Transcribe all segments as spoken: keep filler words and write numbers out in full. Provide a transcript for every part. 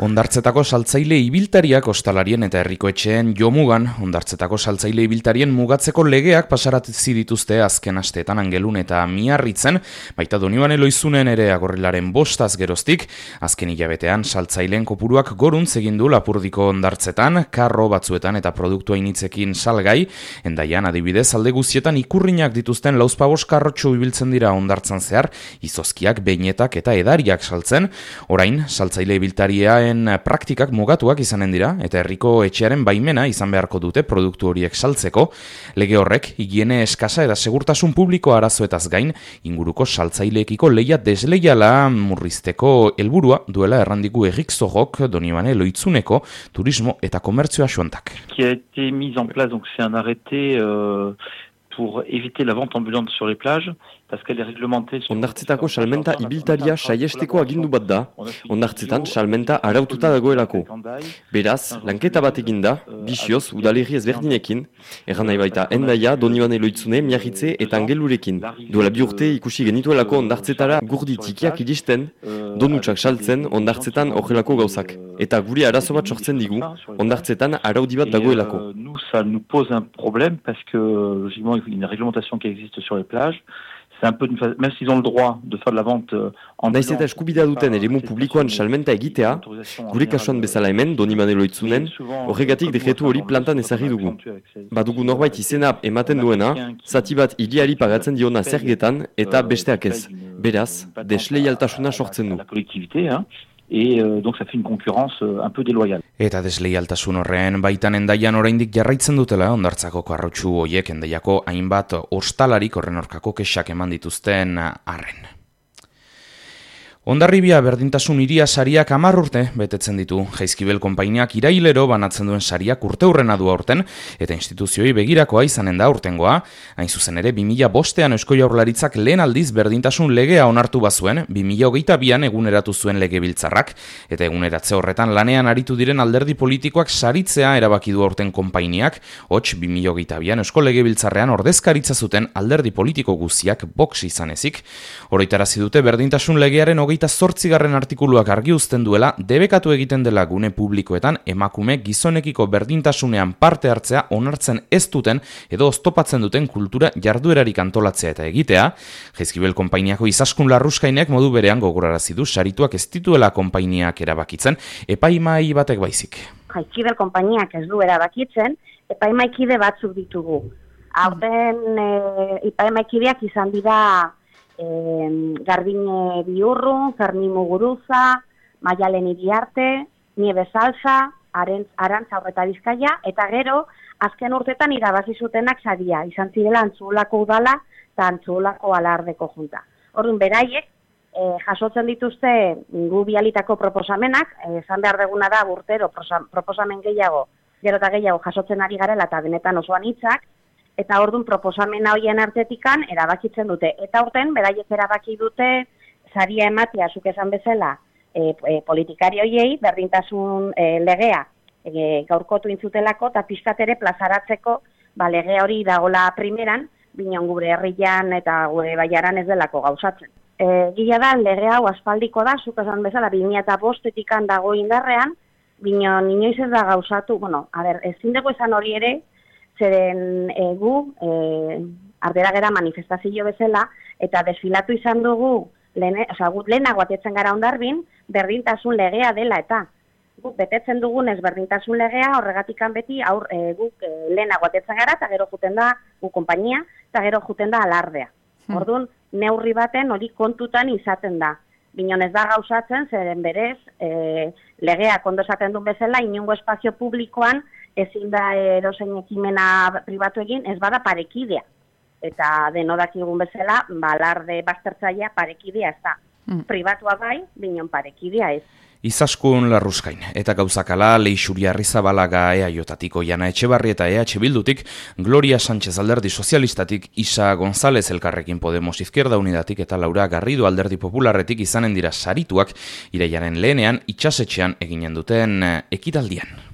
Hondartzetako saltzaile ibiltariak ostalarien eta herrikoetxeen jomugan, hondartzetako saltzaile ibiltarien mugatzeko legeak pasarazi dituzte azken asteetan Angelun eta Miarritzen, baita Donibane Loizunen ere Agorrilaren bostaz geroztik, azken hilabetean saltzaileen kopuruak goruntz egin du Lapurdiko hondartzetan, karro batzuetan eta produktu hainitzekin salgai, Hendaian adibidez alde guztietan ikurrinak dituzten lauzpabos karrotxo ibiltzen dira hondartzan zehar, izozkiak, beinetak eta edariak saltzen, orain saltzaile ibiltaria praktikak mugatuak izanen dira eta herriko etxearen baimena izan beharko dute produktu horiek saltzeko. Lege horrek higiene eskasa eta segurtasun publiko arazoetaz gain inguruko saltzaileekiko leia desleiala murrizteko helburua duela errandiku Erik Zorrok Donibane Loitzuneko turismo eta komertzioa xontak. Qui a été mise en place, donc c'est un arrêté euh, pour éviter la vente ambulante sur les plages. Hondartzetako salmenta ibiltaria saiesteko agindu bat da, hondartzetan salmenta araututa dagoelako. Beraz, lanketa bat eginda, bizioz, udalerri ezberdinekin, erran nahi baita Hendaia, Donibane Loitzune, Miarritze eta Angelurekin. Duela bi urte ikusi genituelako hondartzetara gurdi txikiak iristen, donutsak saltzen hondartzetan horrelako gauzak. Eta guri arazo bat sortzen digu, hondartzetan araudi bat dagoelako. Nous, ça nous pose un problème parce que, logiquement, il y a une réglementation qui existe sur les plages. C'est un peu une phase, même s'ils ont le droit de faire de la vente en Naiz eta eskubidea duten eremu publikoan salmenta egitea, gure kasuan bezala hemen, Donibane Loitzunen, horregatik dekretu hori plantan ezarri dugu. Badugu norbait izena ematen duena, zati bat hiriari pagatzen diona zergetan eta besteak ez. Beraz, desleialtasuna sortzen du. Et euh, donc ça fait une concurrence euh, un peu déloyale. Eta desleialtasun horren baitan Hendaian oraindik jarraitzen dutela hondartzako karrotxu hoiek Hendaiako hainbat ostalarik horren aurkako kexak eman dituzten arren. Hondarribia berdintasun hiria sariak hamar urte betetzen ditu. Jaizkibel konpainiak irailero banatzen duen sariak urteurrena du aurten eta instituzioi begirakoa izanen da aurtengoa. Hain zuzen ere bi mila bostean Eusko Jaurlaritzak lehen aldiz berdintasun legea onartu bazuen, bi mila hogeita bian eguneratu zuen legebiltzarrak eta eguneratze horretan lanean aritu diren alderdi politikoak saritzea erabaki du aurten konpainiak, hots bi mila hogeita bian Eusko Legebiltzarrean ordezkaritza zuten alderdi politiko guztiak Vox izan ezik. Oroitarazi dute berdintasun legearen hogeita zortzigarren artikuluak argi uzten duela debekatu egiten dela gune publikoetan emakume gizonekiko berdintasunean parte hartzea onartzen ez duten edo oztopatzen duten kultura jarduerarik antolatzea eta egitea. Jaizkibel konpainiako Izaskun Larruskainek modu berean gogorarazi du sarituak ez dituela konpainiak erabakitzen, epaimahai batek baizik. Jaizkibel konpainiak ez du erabakitzen, epaimaikide batzuk ditugu. Aurten e, epaimaikideak izan dira Eh, Garbine Biurru, Fermi Muguruza, Maialen Iriarte, Nieves Salsa, Arantza Horreta Bizkaia, eta gero, azken urtetan irabazi zutenak saria, izan zirela Antzuolako udala eta Antzuolako alardeko junta. Orduan beraiek, eh, jasotzen dituzte gu bialitako proposamenak, esan eh, behar deguna da urtero proposamen gehiago, gero eta gehiago jasotzen ari garela eta benetan osoan hitzak, eta orduan proposamena hoien artetikan erabakitzen dute. Eta urten, beraiek erabaki dute, saria ematea, zuk esan bezala, e, e, politikari hoiei, berdintasun e, legea e, gaurkotu intzutelako, eta pixkat ere plazaratzeko, ba, lege hori dagola primeran, binon gure herrian eta gure baiaran ez delako gauzatzen. E, Gila da, lege hau aspaldiko da, zuk esan bezala, bi mila bostetikan dago indarrean, binon inoiz ez da gauzatu, bueno, a ber, ezin dugu esan hori ere, zeren e, gu, e, arderagera manifestazio bezala, eta desfilatu izan dugu, lehen, oza, gut lehenago atetzen gara Hondarbin, berdintasun legea dela, eta guk betetzen dugunez berdintasun legea, horregatikan beti, aur, e, guk e, lehenago atetzen gara, eta gero juten da, gu konpainia, eta gero juten da alardea. Hmm. Orduan, neurri baten hori kontutan izaten da. Binon ez da gauzatzen, zeren berez, e, legeak ondo esaten duen bezala, inongo espazio publikoan, ezin da erosein ekimena pribatu egin, ez bada parekidea. Eta denodakigun bezala, balarde baztertzailea parekidea ez da. Mm. Pribatua bai, binon parekidea ez. Izaskun Larruskain, eta gauzakala Leixuri Arrizabalaga E A J-tatiko Jana Etxebarri eta E H Bildutik, Gloria Sánchez alderdi sozialistatik, Isa González Elkarrekin Podemos Izquierda Unidatik eta Laura Garrido alderdi popularretik izanen dira sarituak, irailaren lehenean itxasetxean eginen duten ekitaldian.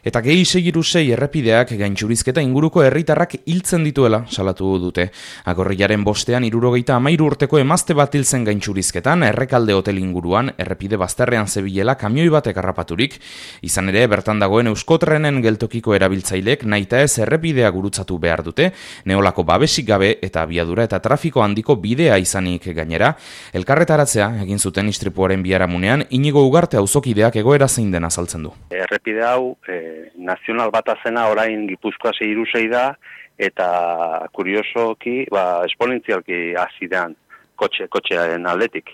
Eta gehi segiru sei errepideak gaintxurizketa inguruko herritarrak hiltzen dituela salatu dute. Agorrilaren bostean hirurogeita hamairu urteko emazte bat hiltzen gaintxurizketan, Errekalde hotel inguruan, errepide bazterrean zebilela kamioi batek harrapaturik. Izan ere, bertan dagoen Euskotrenen geltokiko erabiltzaileek nahita ez errepidea gurutzatu behar dute, neolako babesik gabe eta abiadura eta trafiko handiko bidea izanik gainera. Elkarretaratzea egin zuten istripuaren biharamunean, Inigo Ugarte auzokideak egoera zein den azaltzen du. Errepide hau eh, nazional bata zena orain Gipuzkoa hiru sei da, eta kuriosoki, ba, esponentzialki hasidean kotxe, kotxearen aldetik.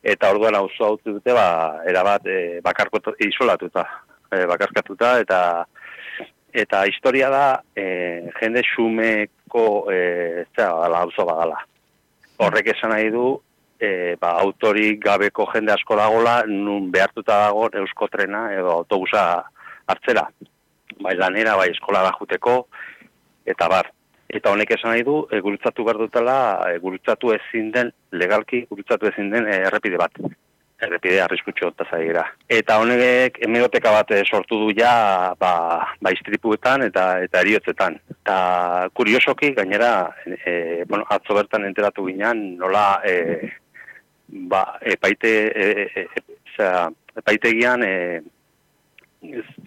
Eta orduan auzo hau dute, ba, erabat e, bakarko isolatuta, e, bakarkatuta, eta eta historia da e, jende xumeko e, zera, auzo bagala. Horrek esan nahi du, e, ba, autorik gabeko jende asko dagola, nun behartuta dago Euskotrena edo autobusa hartzera. Bai lanera, bai eskolara juteko, eta bar. Eta honek esan nahi du, e, gurutzatu behar dutela, e, gurutzatu ezin den, legalki gurutzatu ezin den e, errepide bat. Errepide arriskutxo eta zaigira. Eta honek hemeroteka bat sortu du ja, ba, ba istripuetan eta eta eriotzetan. Eta kuriosoki, gainera, e, bueno, atzo bertan enteratu ginean, nola, e, ba, epaite, e, e, e, epaitegian, e,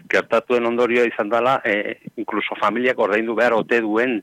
gertatuen ondorioa izan dela, e, inkluso familiak ordaindu behar ote duen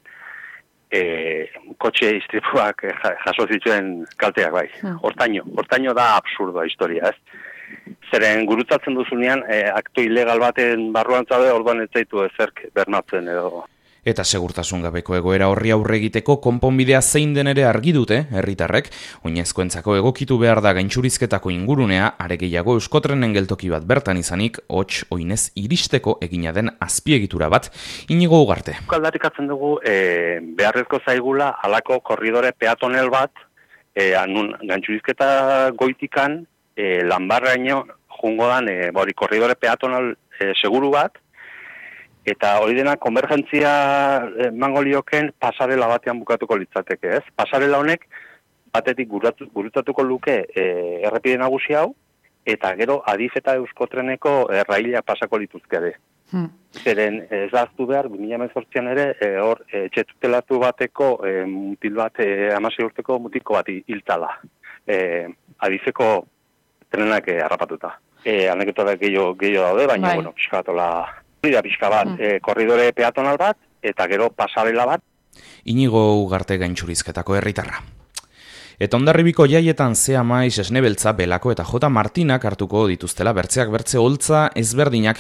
e, kotxe istripuak jaso zituen kalteak bai. Hortaino, hortaino da absurdoa historia, ez? Zeren gurutzatzen duzunean, e, aktu ilegal baten barruan zaude, orduan ez zaitu ezerk bermatzen edo. Eta segurtasun gabeko egoera horri aurre egiteko konponbidea zein den ere argi dute, herritarrek, oinezkoentzako egokitu behar da gaintxurizketako ingurunea, are gehiago Euskotrenen geltoki bat bertan izanik, hots oinez iristeko egina den azpiegitura bat, Inigo Ugarte. Aldarrikatzen dugu, e, beharrezko zaigula, halako korridore peatonel bat, e, anun, gaintxurizketa goitikan, e, lanbarraino jungo dan, e, bori, korridore peatonal e, seguru bat, eta hori dena konvergentzia emango lioken pasarela batean bukatuko litzateke, ez? Pasarela honek batetik gurutzatuko luke e, errepide nagusi hau, eta gero Adif eta Euskotreneko erraila pasako lituzkede. Hmm. Zeren ez daztu behar, bi mila hemezortzian ere, e, hor, e, txetutelatu bateko, e, mutil bat, e, hamasei urteko mutiko bat hiltala. E, Adifeko trenak e, harrapatuta. E, Anekdotak gehiago daude, baina, bai. bueno, pixkatola... da pixka bat, mm. e, korridore peatonal bat, eta gero pasarela bat. Inigo Ugarte gaintxurizketako herritarra. Eta Hondarribiko jaietan Zea Maiz, Esnebeltza, Belako eta J. Martinak hartuko dituztela bertzeak bertze holtza ezberdinak.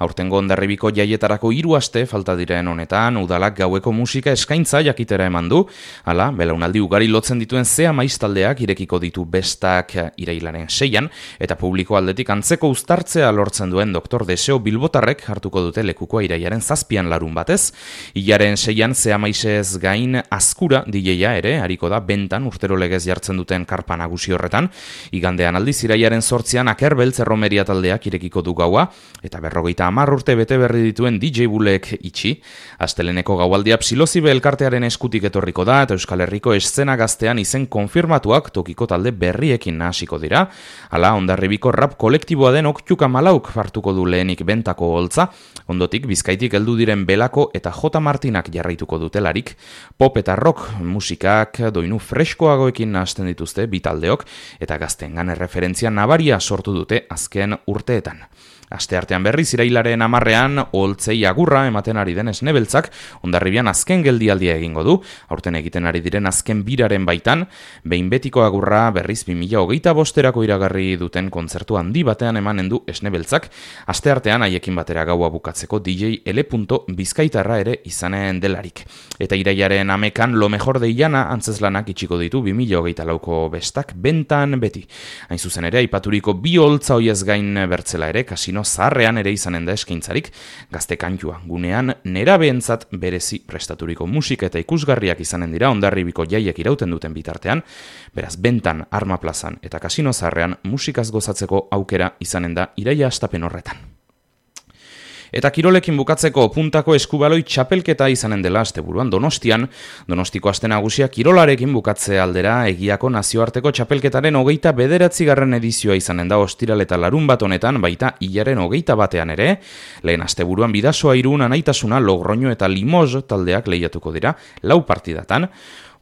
Aurtengo Hondarribiko jaietarako hiru aste falta diren honetan, udalak gaueko musika eskaintza jakitera eman du. Hala, belaunaldi ugari lotzen dituen Zea Maiz taldeak irekiko ditu bestak irailaren seian, eta publiko aldetik antzeko uztartzea lortzen duen Doktor Deseo Bilbotarrek hartuko dute lekukoa irailaren zazpian larun batez. Ilaren seian Zea Maizez gain Azkura D J-a ere, hariko da bentan urtero legez jartzen duten karpa nagusi horretan. Igandean aldiz iraiaren sortzian Akerbeltz erromeria taldeak irekiko du gaua, eta berrogeita hamar urte bete berri dituen D J Bulek itxi. Asteleneko gaualdia Psilozibe elkartearen eskutik etorriko da, eta Euskal Herriko eszena gaztean izen konfirmatuak tokiko talde berriekin nahasiko dira. Hala, Hondarribiko rap kolektiboa den Oktiuka Malauk hartuko du lehenik bentako holtza, ondotik Bizkaitik heldu diren Belako eta J. Martinak jarraituko dutelarik. Pop eta rock musikak doinu freskoagoekin hasten dituzte bi taldeok, eta gaztengan erreferentzia nabaria sortu dute azken urteetan. Asteartean berriz irailaren hamarrean oholtzei agurra ematen ari den Esnebeltzak Hondarribian azken geldialdia egingo du, aurten egiten ari diren azken biraren baitan, behin betiko agurra berriz bi mila hogeita bosterako iragarri duten kontzertu handi batean emanen du Esnebeltzak, asteartean haiekin batera gaua bukatzeko D J L. Bizkaitarra ere izanen delarik. Eta irailaren amekan Lo Mejor de Illana antzeslanak itxiko ditu bi mila hogeita lauko bestak bentan beti. Hain zuzen ere, aipaturiko bi holtza hoiez gain bertzela ere, kasino zaharrean ere izanen da eskaintzarik, gazte kantua gunean nerabeentzat berezi prestaturiko musika eta ikusgarriak izanen dira Hondarribiko jaiek irauten duten bitartean, beraz bentan, Arma Plazan eta kasino zaharrean musikaz gozatzeko aukera izanen da iraila hastapen horretan. Eta kirolekin bukatzeko puntako eskubaloi txapelketa izanen dela asteburuan Donostian. Donostiko aste nagusia kirolarekin bukatze aldera egiako nazioarteko txapelketaren hogeita bederatzigarren edizioa izanen da ostiral eta larun bat honetan, baita hilaren hogeita batean ere. Lehen asteburuan Bidasoa Irun, Anaitasuna, Logroño eta Limoges taldeak lehiatuko dira lau partidatan.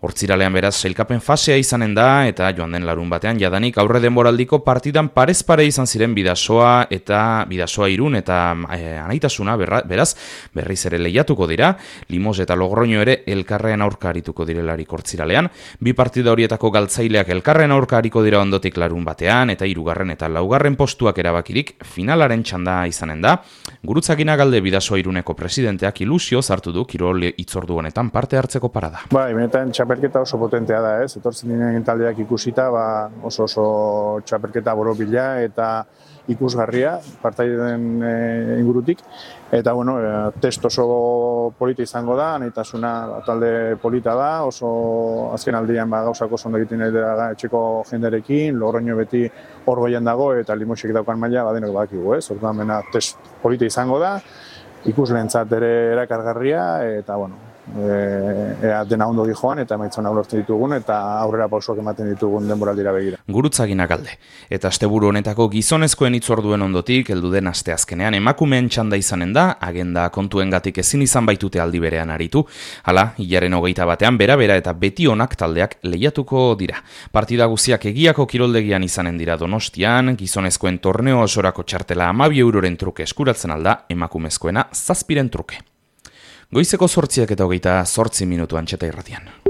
Hortziralean beraz sailkapen fasea izanen da eta joan den larun batean jadanik aurre denboraldiko partidan parez pare izan ziren Bidasoa eta Bidasoa Irun eta e, Anaitasuna berra, beraz berriz ere lehiatuko dira. Limoges eta Logroño ere elkarren aurka arituko direlarik hortziralean. Bi partida horietako galtzaileak elkarren aurka ariko dira ondotik larun batean eta hirugarren eta laugarren postuak erabakirik finalaren txanda izanen da. Gurutzagina galde Bidasoa Iruneko presidenteak ilusio zartu du kirol hitzordu honetan parte hartzeko parada. Bai, benetan txapelketa oso potentea da, ez? Etortzen diren taldeak ikusita, ba, oso oso txapelketa borobila eta ikusgarria partaiden e, ingurutik. Eta, bueno, e, test oso polita izango da, Anaitasuna talde polita da, oso azken aldian ba, gauzako oso ondo egiten da etxeko jenderekin, Logroño beti hor goian dago eta Limosek daukan maila badenok badakigu, ez? Orduan bena test polita izango da, ikusleentzat ere erakargarria eta, bueno, ea dena ondo joan eta emaitzona lortzen ditugun eta aurrera pausoak ematen ditugun denboraldira begira. Gurutzaginak alde. Eta asteburu honetako gizonezkoen hitzorduen ondotik heldu den asteazkenean emakumeen txanda izanen da, agenda kontuengatik ezin izan baitute aldi berean aritu. Hala, hilaren hogeita batean bera-bera eta beti onak taldeak lehiatuko dira. Partida guziak egiako kiroldegian izanen dira Donostian, gizonezkoen torneo osorako txartela hamabi euroren truke eskuratzen alda, emakumezkoena zazpiren truke. Goizeko zortziak eta hogeita zortzi minutuan txeta irratian.